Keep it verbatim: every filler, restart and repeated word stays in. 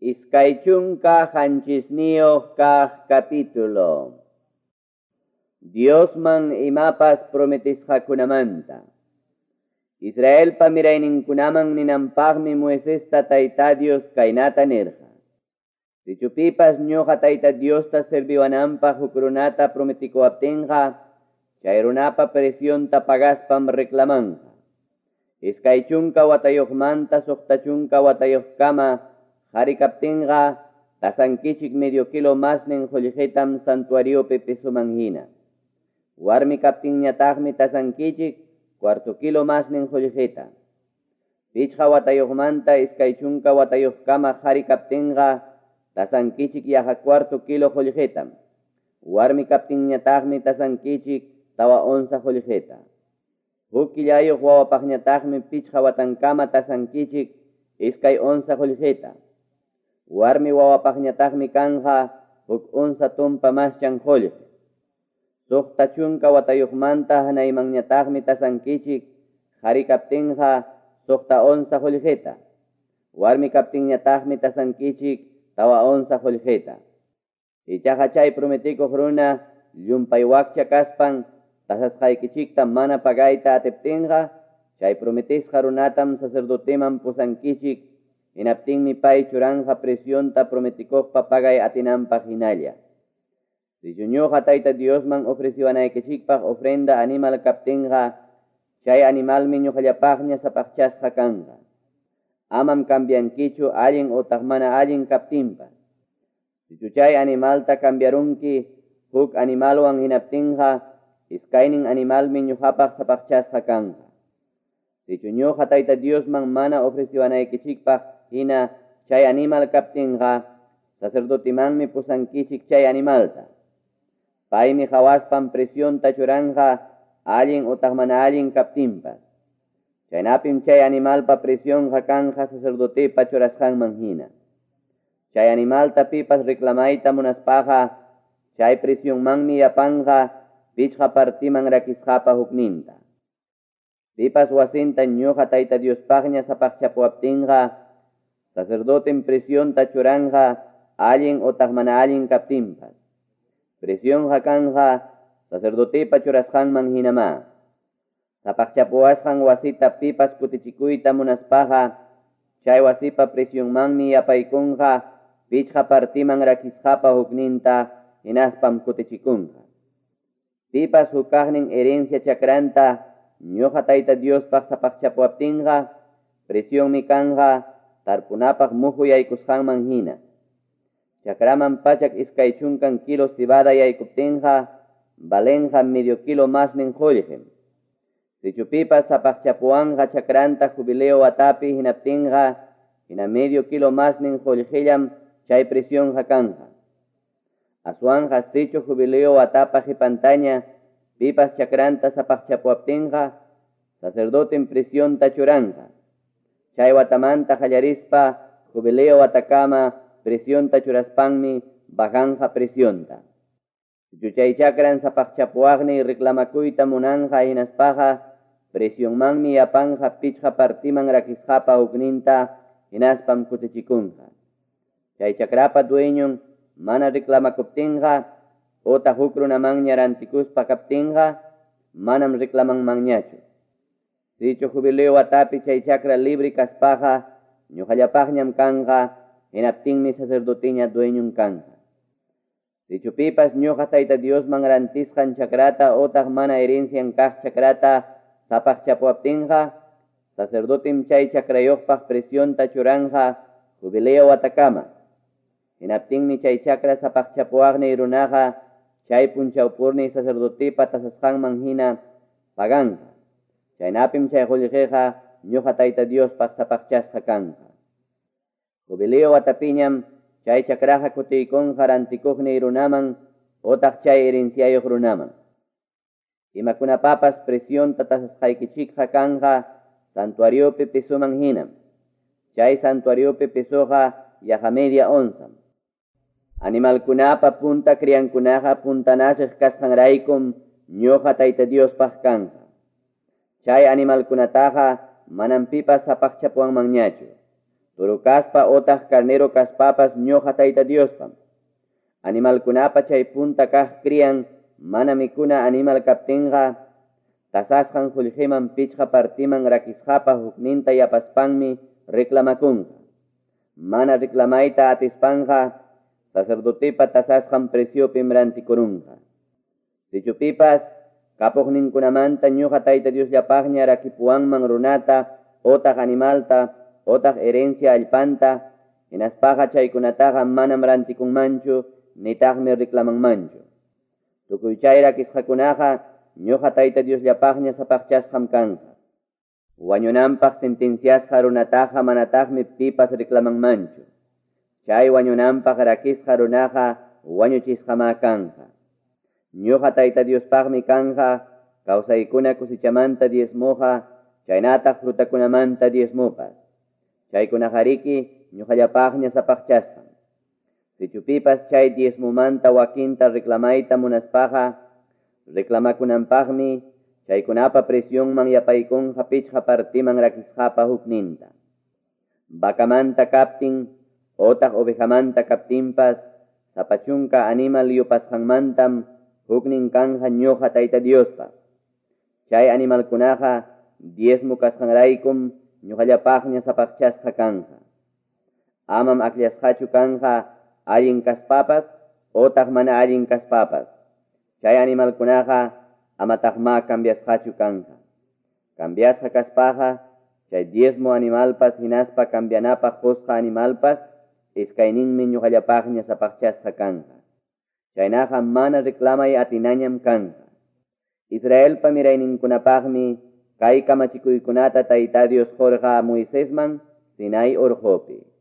Iskay chunka qanchisniyuq kaq capítulo. Diosman imapas prometisqakunamanta. Israelpa mirayninkunaman ninanpaqmi Moisesta Tayta Dios kaynata nirqa. Sichu pipas ñuqa Tayta Diosta serviwananpaq huk runata prometikuwaptinqa, chay runapa presionta pagaspam reclamanqa. Iskay chunka watayuqmanta suqta chunka watayuqkama qhari kaptinqa, tasankichik medio kilo masnin qullqitam santuariopi pesoman hina. Warmi kaptinñataqmi tasankichik cuarto kilo masnin qullqita. Pichqa watayuqmanta iskay chunka watayuqkama qhari kaptinqa, tasankichik yaqa cuarto kilo qullqitam. Warmi kaptinñataqmi tasankichik tawa onza qullqita. Huk killayuq wawapaqñataqmi pichqa watankama tasankichik iskay onza qullqita. Warmi wawapaqñataqmi kanja huk onza tumpa maschan qullqi. Suqta chunka watayuqmanta hanaymanñataqmi tasankichik qhari kaptinqa suqta onza qullqita. Warmi kaptinñataqmi tasankichik tawa onza qullqita. Ichaqa chay prometikuq runa llumpay wakcha kaspan tasasqaykichikta mana pagayta atiptinqa, chay prometisqa runatam sacerdoteman pusankichik, hinaptinmi pay churanja presionta prometikuqpa pagay atinanpaq hinalla. Sichu ñuqa Tayta Diosman ofreciwanaykichikpaq ofrenda animal kaptinqa, chay animalmi ñuqallapaqña sapaqchasqa kanqa. Amam cambiankichu allin utaq mana allin kaptinpas. Sichu chay animalta cambiarunki huk animalwan hinaptinqa, iskaynin animalmi ñuqapaq sapaqchasqa kanqa. Sichu ñuqa Tayta Diosman mana ofreciwanaykichikpaq hina chay animal kaptinqa, sacerdotimanmi pusankichik chay animalta. Paymi qhawaspan presionta churanja allin utaq mana allin kaptinpas. Chaynapim chay animalpa presionqa kanja sacerdotepa churasqanman hina. Chay animalta pipas reclamayta munaspaqa, chay presionmanmi yapanja pichqa partiman rakisqapa hukninta. Pipas wasinta ñuqa Tayta Diospaqña sapaqchapuwaptinqa, sacerdotem presionta churanja allin utaq mana allin kaptinpas. Presionqa kanja sacerdotepa churasqanman hinamá. Sapaqchapuwasqan wasita pipas kutichikuyta munaspaqa, chay wasipa presionmanmi yapaykunqa pichqa partiman rakisqapa hukninta hinaspam kutichikunqa. Pipas hukaqnin herencia chakranta ñuqa Tayta Diospaq sapaqchapuwaptinqa, presionmi kanja tarpunapaq muhu yaykusqanman hina. Chakraman pachak iskay chunkan kilo cebada yaykuptinqa, valenqa medio kilo masnin qullqim. Sichu pipas sapaqchapuwanqa chakranta jubileo watapi hinaptinqa, hina medio kilo masnin qullqillam chay presionqa kanja. Aswanqa sichu jubileo watapa qipantaña pipas chakranta sapaqchapuwaptinqa, sacerdotem presionta churanja. Chay watamanta qallarispa jubileo watakama presionta churaspanmi bajanja presionta. Sichu chay chakran sapaqchapuwaqni reclamakuyta munanja hinaspaqa, presionmanmi yapanja pichqa partiman rakisqapa hukninta hinaspam kutichikunqa. Chay chakrapa dueñon mana reclamakuptinqa, utaq huk runamanña rantikuspa kaptinqa, manam reclamanmanñachu. Sichu jubileo watapi chay chakra libre kaspaqa, ñuqallapaqñam kanja, hinaptinmi sacerdoteña dueñon kanja. Sichu pipas ñuqa Tayta Diosman rantisqan chakrata utaq mana herencian kaq chakrata sapaqchapuwaptinqa, sacerdotem chay chakrayuqpaq presionta churanja jubileo watakama. Hinaptinmi chay chakra sapaqchapuwaqni runaqa chay punchawpurni sacerdotepa tasasqanman hina paganja. Chaynapim chay qullqiqa ñuqa Tayta Diospaq sapaqchasqa kanja. Jubileo watapiñam chay chakraqa kutiykunqa rantikuqni runaman utaq chay herenciayuq runaman. Imakunapapas presionta tasasqaykichikqa kanja santuariopi pesoman hinam. Chay santuariopi pesoqa yaqa media onzam. Animalkunapa punta criankunaqa puntanasiq kasqanraykum ñuqa Tayta Diospaq kanja. Chay animalkunataqa manam pipas sapaqchapuwanmanñachu. Toro kaspa otaq carnero kaspapas ñoqa Tayta Diospam. Animalkunapa chay punta kaq crian mana mikuna animal kaptinqa, tasasqan qollqeman pichqa partiman rakisqapa hukninta yapaspanmi reclamakunqa. Mana reclamayta atispanqa, sacerdotepa tasasqan preciopim rantikurunqa. Sichu pipas kapuqninkunamanta ñuqa Tayta Diosllapaqña rakipuwanman runata otaq animalta otaq herencia allpanta, hinaspaqa chaykunataqa manam rantikunmanchu nitaqmi reclamanmanchu. Tukuy chay rakisqakunaqa ñuqa Tayta Diosllapaqña sapaqchasqam kanqa. Wañunanpaq sentenciasqa runataqa manataqmi pipas reclamanmanchu. Chay wañunanpaq rakisqa runaqa wañuchisqamá kanqa. Ñuqa Tayta Diospaqmi kanqa kawsaykuna cosechamanta diezmoqa, chaynataq frutakunamanta diezmopas. Chaykunaqariki ñuqallapaqña sapaqchasqam. Sichu pipas chay diezmomanta wakinta reclamayta munaspaqa, reclamakunanpaqmi chaykunapa precionman yapaykunqa pichqa partiman rakisqapa hukninta. Vacamanta kaptin otaq ovejamanta kaptinpas, sapa chunka animal yupasqanmantam huknin kanja ñuqa Tayta Diospaq. Chay animalkunaqa diezmo kasqanraykum ñuqallapaqña sapaqchasqa kanja. Amam akllasqachu kanja allin kaspapas otaq mana allin kaspapas. Chay animalkunaqa amataqma cambiasqachu kanja. Cambiasqa kaspaqa chay diezmo animalpas hinaspa cambianapaq qusqa animalpas iskayninmi ñuqallapaqña sapaqchasqa kanja. Chaynaqa mana reclamay atinañam kanja. Israelpa mirayninkunapaqmi kay kamachikuykunata Tayta Dios qurqa Moisesman Sinai urqupi.